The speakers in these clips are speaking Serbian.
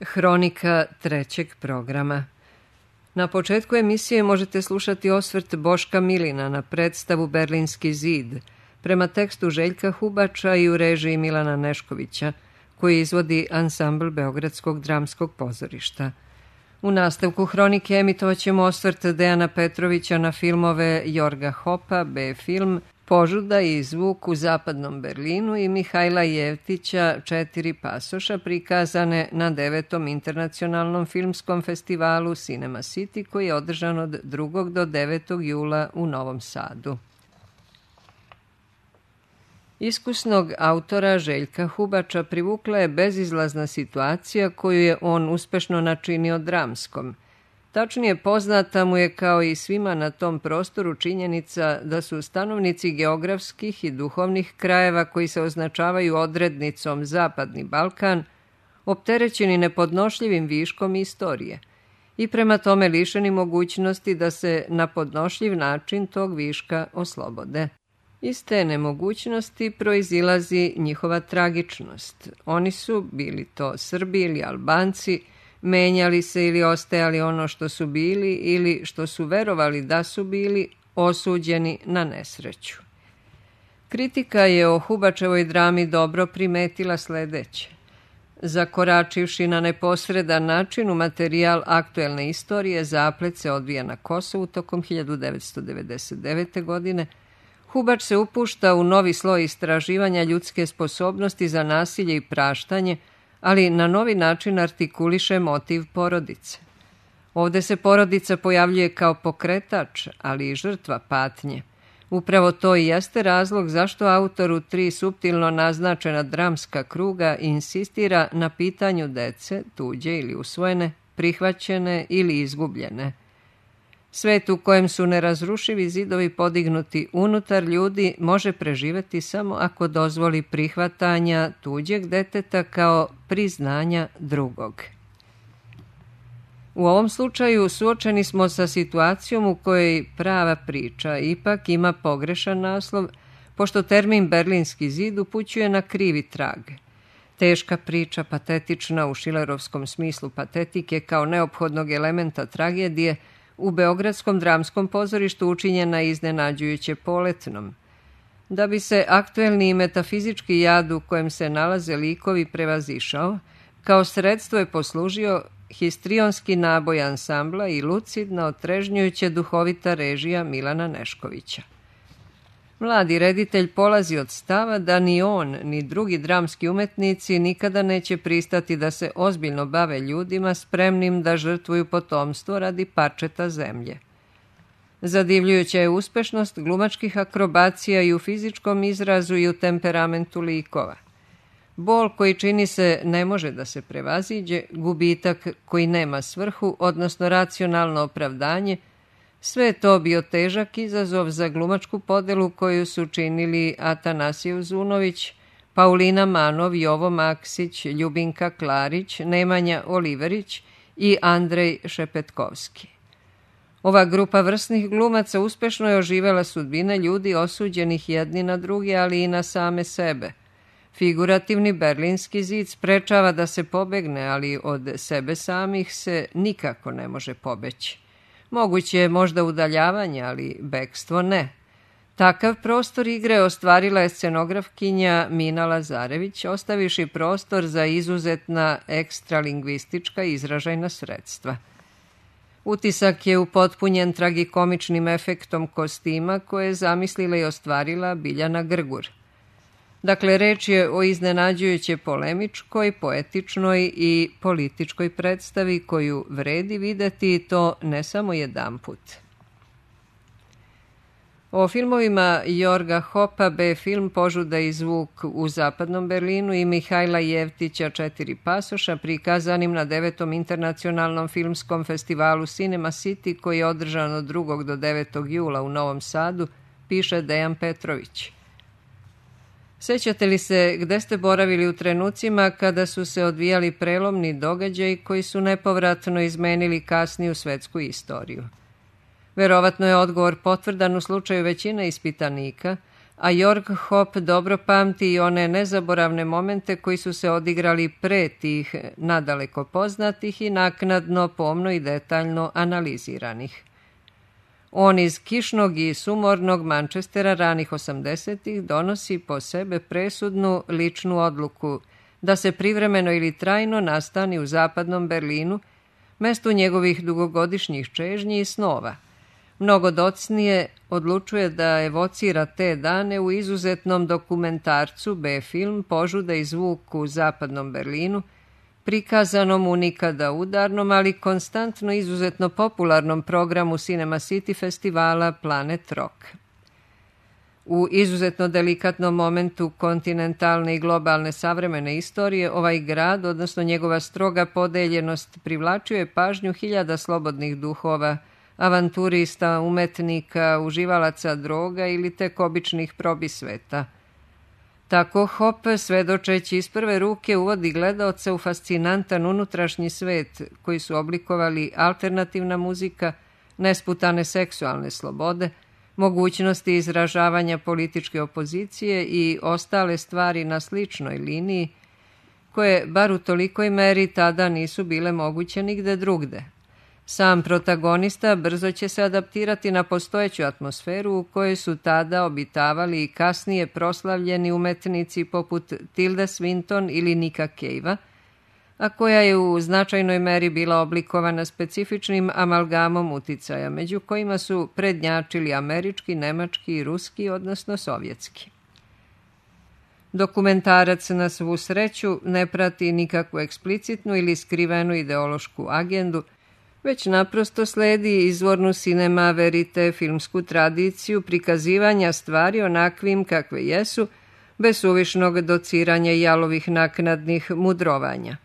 Hronika trećeg programa. Na početku emisije možete slušati osvrt Boška Milina na predstavu Berlinski zid, prema tekstu Željka Hubača i u režiji Milana Neškovića, koji izvodi ansambl Beogradskog dramskog pozorišta. U nastavku hronike emitovat ćemo osvrt Dejana Petrovića na filmove Jorga Hopa, B-film, Požuda i zvuk u zapadnom Berlinu i Mihajla Jevtića 4 pasoša prikazane na 9. internacionalnom filmskom festivalu Cinema City koji je održan od 2. do 9. jula u Novom Sadu. Iskusnog autora Željka Hubača privukla je bezizlazna situacija koju je on uspešno načinio dramskom. Tačnije poznata mu je kao i svima na tom prostoru činjenica da su stanovnici geografskih i duhovnih krajeva koji se označavaju odrednicom Zapadni Balkan opterećeni nepodnošljivim viškom istorije i prema tome lišeni mogućnosti da se na podnošljiv način tog viška oslobode. Iz te nemogućnosti proizilazi njihova tragičnost. Oni su, bili to Srbi ili Albanci, menjali se ili ostajali ono što su bili ili što su verovali da su bili, osuđeni na nesreću. Kritika je o Hubačevoj drami dobro primetila sledeće. Zakoračivši na neposredan način u materijal aktuelne istorije, zaplet se odvija na Kosovu tokom 1999. godine, Hubač se upušta u novi sloj istraživanja ljudske sposobnosti za nasilje i praštanje, ali na novi način artikuliše motiv porodice. Ovde se porodica pojavljuje kao pokretač, ali i žrtva patnje. Upravo to i jeste razlog zašto autor u 3 suptilno naznačena dramska kruga insistira na pitanju dece, tuđe ili usvojene, prihvaćene ili izgubljene. Svet u kojem su nerazrušivi zidovi podignuti unutar ljudi može preživeti samo ako dozvoli prihvatanja tuđeg deteta kao priznanja drugog. U ovom slučaju suočeni smo sa situacijom u kojoj prava priča ipak ima pogrešan naslov, pošto termin Berlinski zid upućuje na krivi trag. Teška priča, patetična u šilerovskom smislu patetike kao neophodnog elementa tragedije, u Beogradskom dramskom pozorištu učinjena iznenađujuće poletnom. Da bi se aktuelni metafizički jad u kojem se nalaze likovi prevazišao, kao sredstvo je poslužio histrionski naboj ansambla i lucidna, otrežnjujuće duhovita režija Milana Neškovića. Mladi reditelj polazi od stava da ni on, ni drugi dramski umetnici nikada neće pristati da se ozbiljno bave ljudima spremnim da žrtvuju potomstvo radi parčeta zemlje. Zadivljujuća je uspešnost glumačkih akrobacija i u fizičkom izrazu i u temperamentu likova. Bol koji čini se ne može da se prevaziđe, gubitak koji nema svrhu, odnosno racionalno opravdanje, sve je to bio težak izazov za glumačku podelu koju su činili Atanasije Uzunović, Paulina Manov, Jovo Maksić, Ljubinka Klarić, Nemanja Oliverić i Andrej Šepetkovski. Ova grupa vrsnih glumaca uspešno je oživela sudbine ljudi osuđenih jedni na druge, ali i na same sebe. Figurativni Berlinski zid sprečava da se pobegne, ali od sebe samih se nikako ne može pobeći. Moguće je možda udaljavanje, ali bekstvo ne. Takav prostor igre ostvarila je scenografkinja Mina Lazarević, ostaviši prostor za izuzetna ekstralingvistička izražajna sredstva. Utisak je upotpunjen tragikomičnim efektom kostima koje je zamislila i ostvarila Biljana Grgur. Dakle, reč je o iznenađujuće polemičkoj, poetičnoj i političkoj predstavi koju vredi videti i to ne samo jedanput. O filmovima Jorga Hopa, B-film, Požuda i zvuk u zapadnom Berlinu i Mihajla Jevtića 4 pasoša prikazanim na 9. internacionalnom filmskom festivalu Cinema City koji je održan od 2. do 9. jula u Novom Sadu, piše Dejan Petrović. Sećate li se gde ste boravili u trenucima kada su se odvijali prelomni događaji koji su nepovratno izmenili kasniju svetsku istoriju? Verovatno je odgovor potvrdan u slučaju većine ispitanika, a Jörg Hopp dobro pamti i one nezaboravne momente koji su se odigrali pre tih nadaleko poznatih i naknadno, pomno i detaljno analiziranih. On iz kišnog i sumornog Manchestera ranih 80-ih donosi po sebe presudnu ličnu odluku da se privremeno ili trajno nastani u zapadnom Berlinu, mestu njegovih dugogodišnjih čežnji i snova. Mnogo docnije odlučuje da evocira te dane u izuzetnom dokumentarcu B-film Požuda i zvuk u zapadnom Berlinu, prikazanom u nikada udarnom, ali konstantno izuzetno popularnom programu Cinema City festivala Planet Rock. U izuzetno delikatnom momentu kontinentalne i globalne savremene istorije ovaj grad, odnosno njegova stroga podeljenost, privlačio je pažnju hiljada slobodnih duhova, avanturista, umetnika, uživalaca droga ili tek običnih probisveta. Tako Hopp, svedočeći iz prve ruke, uvodi gledaoca u fascinantan unutrašnji svet koji su oblikovali alternativna muzika, nesputane seksualne slobode, mogućnosti izražavanja političke opozicije i ostale stvari na sličnoj liniji, koje, bar u tolikoj meri, tada nisu bile moguće nigde drugde. Sam protagonista brzo će se adaptirati na postojeću atmosferu u kojoj su tada obitavali i kasnije proslavljeni umetnici poput Tilda Swinton ili Nicka Cave-a, a koja je u značajnoj meri bila oblikovana specifičnim amalgamom uticaja, među kojima su prednjačili američki, nemački i ruski, odnosno sovjetski. Dokumentarac na svu sreću ne prati nikakvu eksplicitnu ili skrivenu ideološku agendu, već naprosto sledi izvornu cinema verite filmsku tradiciju prikazivanja stvari onakvim kakve jesu, bez suvišnog dociranja i jalovih naknadnih mudrovanja.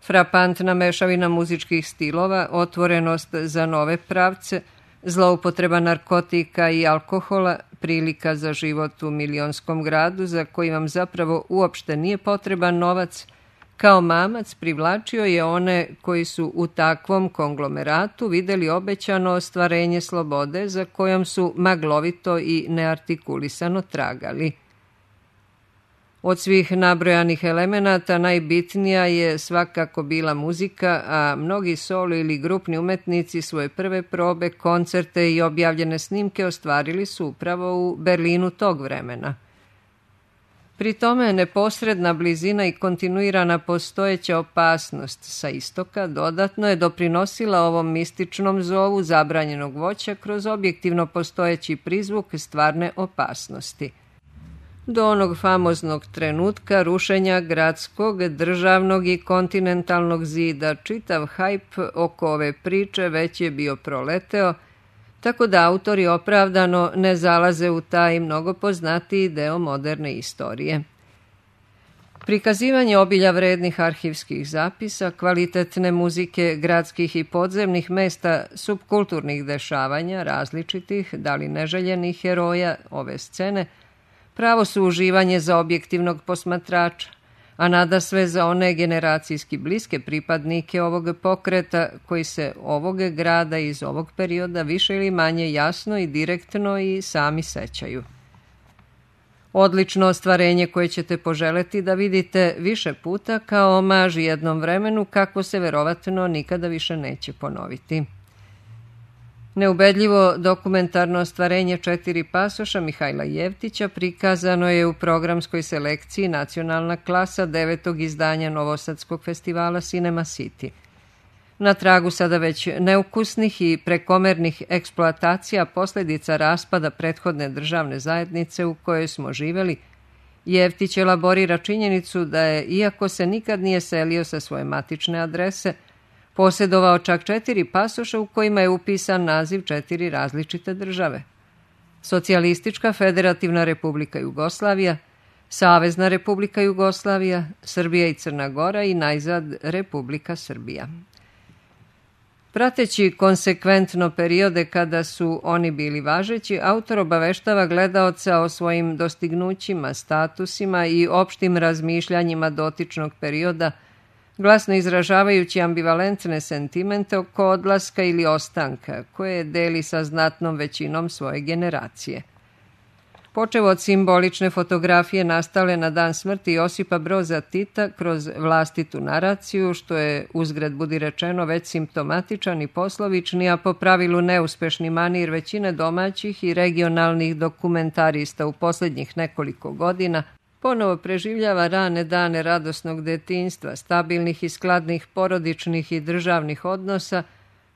Frapantna mešavina muzičkih stilova, otvorenost za nove pravce, zloupotreba narkotika i alkohola, prilika za život u milionskom gradu za koji vam zapravo uopšte nije potreban novac, kao mamac privlačio je one koji su u takvom konglomeratu videli obećano ostvarenje slobode za kojom su maglovito i neartikulisano tragali. Od svih nabrojanih elemenata najbitnija je svakako bila muzika, a mnogi solo ili grupni umetnici svoje prve probe, koncerte i objavljene snimke ostvarili su upravo u Berlinu tog vremena. Pri tome neposredna blizina i kontinuirana postojeća opasnost sa istoka dodatno je doprinosila ovom mističnom zovu zabranjenog voća kroz objektivno postojeći prizvuk stvarne opasnosti. Do onog famoznog trenutka rušenja gradskog, državnog i kontinentalnog zida čitav hajp oko ove priče već je bio proleteo, tako da autori opravdano ne zalaze u taj mnogo poznatiji deo moderne istorije. Prikazivanje obilja vrednih arhivskih zapisa, kvalitetne muzike gradskih i podzemnih mesta, subkulturnih dešavanja, različitih, da li neželjenih heroja ove scene, pravo su uživanje za objektivnog posmatrača, a nadasve za one generacijski bliske pripadnike ovog pokreta koji se ovog grada iz ovog perioda više ili manje jasno i direktno i sami sećaju. Odlično ostvarenje koje ćete poželeti da vidite više puta kao omaž jednom vremenu kakvo se verovatno nikada više neće ponoviti. Neubedljivo dokumentarno ostvarenje 4 pasoša Mihajla Jevtića prikazano je u programskoj selekciji Nacionalna klasa 9. izdanja Novosadskog festivala Cinema City. Na tragu sada već neukusnih i prekomernih eksploatacija posljedica raspada prethodne državne zajednice u kojoj smo živeli, Jevtić elaborira činjenicu da je, iako se nikad nije selio sa svoje matične adrese, posjedovao čak 4 pasoša u kojima je upisan naziv 4 različite države. Socijalistička Federativna Republika Jugoslavija, Savezna Republika Jugoslavija, Srbija i Crna Gora i najzad Republika Srbija. Prateći konsekventno periode kada su oni bili važeći, autor obaveštava gledaoca o svojim dostignućima, statusima i opštim razmišljanjima dotičnog perioda, glasno izražavajući ambivalentne sentimente oko odlaska ili ostanka, koje deli sa znatnom većinom svoje generacije. počev od simbolične fotografije nastale na dan smrti Josipa Broza Tita kroz vlastitu naraciju, što je, uzgred budi rečeno, već simptomatičan i poslovični, a po pravilu neuspešni manir većine domaćih i regionalnih dokumentarista u posljednjih nekoliko godina, ponovo preživljava rane dane radosnog detinjstva, stabilnih i skladnih porodičnih i državnih odnosa,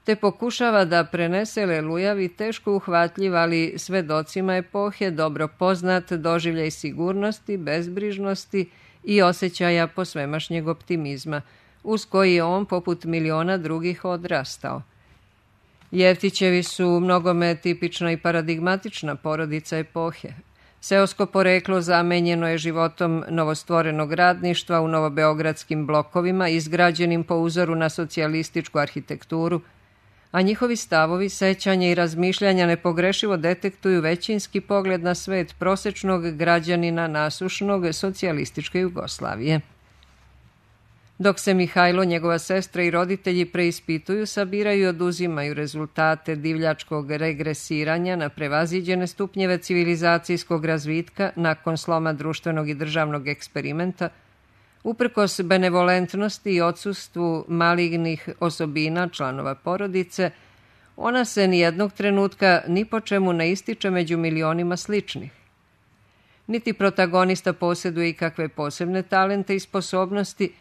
te pokušava da prenese lelujavi, teško uhvatljiv, ali svedocima epohe dobro poznat doživljaj sigurnosti, bezbrižnosti i osjećaja posvemašnjeg optimizma, uz koji je on, poput miliona drugih, odrastao. Jeftićevi su mnogome tipična i paradigmatična porodica epohe. Seosko poreklo zamenjeno je životom novostvorenog radništva u novobeogradskim blokovima, izgrađenim po uzoru na socijalističku arhitekturu, a njihovi stavovi, sećanja i razmišljanja nepogrešivo detektuju većinski pogled na svet prosečnog građanina nasušnog socijalističke Jugoslavije. Dok se Mihajlo, njegova sestra i roditelji preispituju, sabiraju i oduzimaju rezultate divljačkog regresiranja na prevaziđene stupnjeve civilizacijskog razvitka nakon sloma društvenog i državnog eksperimenta, uprkos benevolentnosti i odsustvu malignih osobina članova porodice, ona se nijednog trenutka ni po čemu ne ističe među milionima sličnih. Niti protagonista posjeduje ikakve posebne talente i sposobnosti,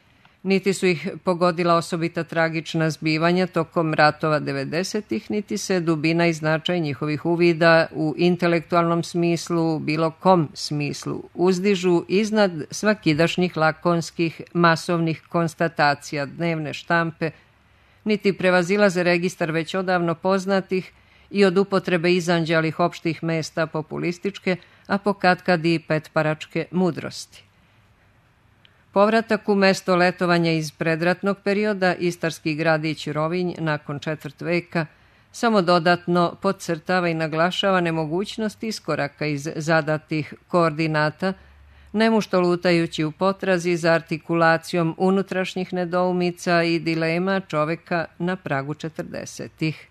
niti su ih pogodila osobita tragična zbivanja tokom ratova 90-ih, niti se dubina i značaj njihovih uvida u intelektualnom smislu, bilo kom smislu, uzdižu iznad svakidašnjih lakonskih masovnih konstatacija dnevne štampe, niti prevazilaze registar već odavno poznatih i od upotrebe izanđalih opštih mesta populističke, a pokatkad i petparačke mudrosti. Povratak u mesto letovanja iz predratnog perioda, istarski gradić Rovinj nakon četvrt veka, samo dodatno podcrtava i naglašava nemogućnost iskoraka iz zadatih koordinata, nemušto lutajući u potrazi za artikulacijom unutrašnjih nedoumica i dilema čoveka na pragu 40-ih.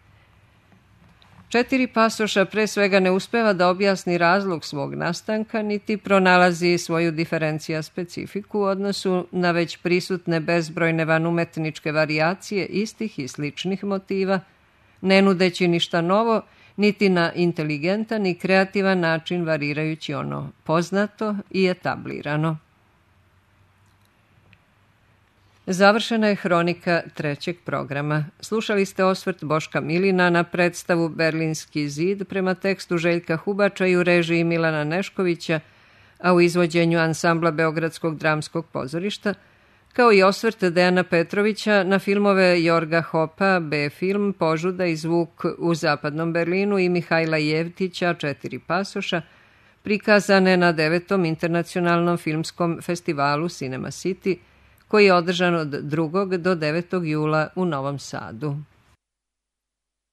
4 pasoša pre svega ne uspeva da objasni razlog svog nastanka, niti pronalazi svoju diferencija specifiku u odnosu na već prisutne bezbrojne vanumetničke varijacije istih i sličnih motiva, ne nudeći ništa novo, niti na inteligentan i kreativan način varirajući ono poznato i etablirano. Završena je hronika trećeg programa. Slušali ste osvrt Boška Milina na predstavu Berlinski zid prema tekstu Željka Hubača i u režiji Milana Neškovića, a u izvođenju ansambla Beogradskog dramskog pozorišta, kao i osvrt Dejana Petrovića na filmove Jorga Hopa, B-film, Požuda i zvuk u zapadnom Berlinu i Mihajla Jevtića, 4 pasoša, prikazane na 9. internacionalnom filmskom festivalu Cinema City, koji je održan od 2. do 9. jula u Novom Sadu.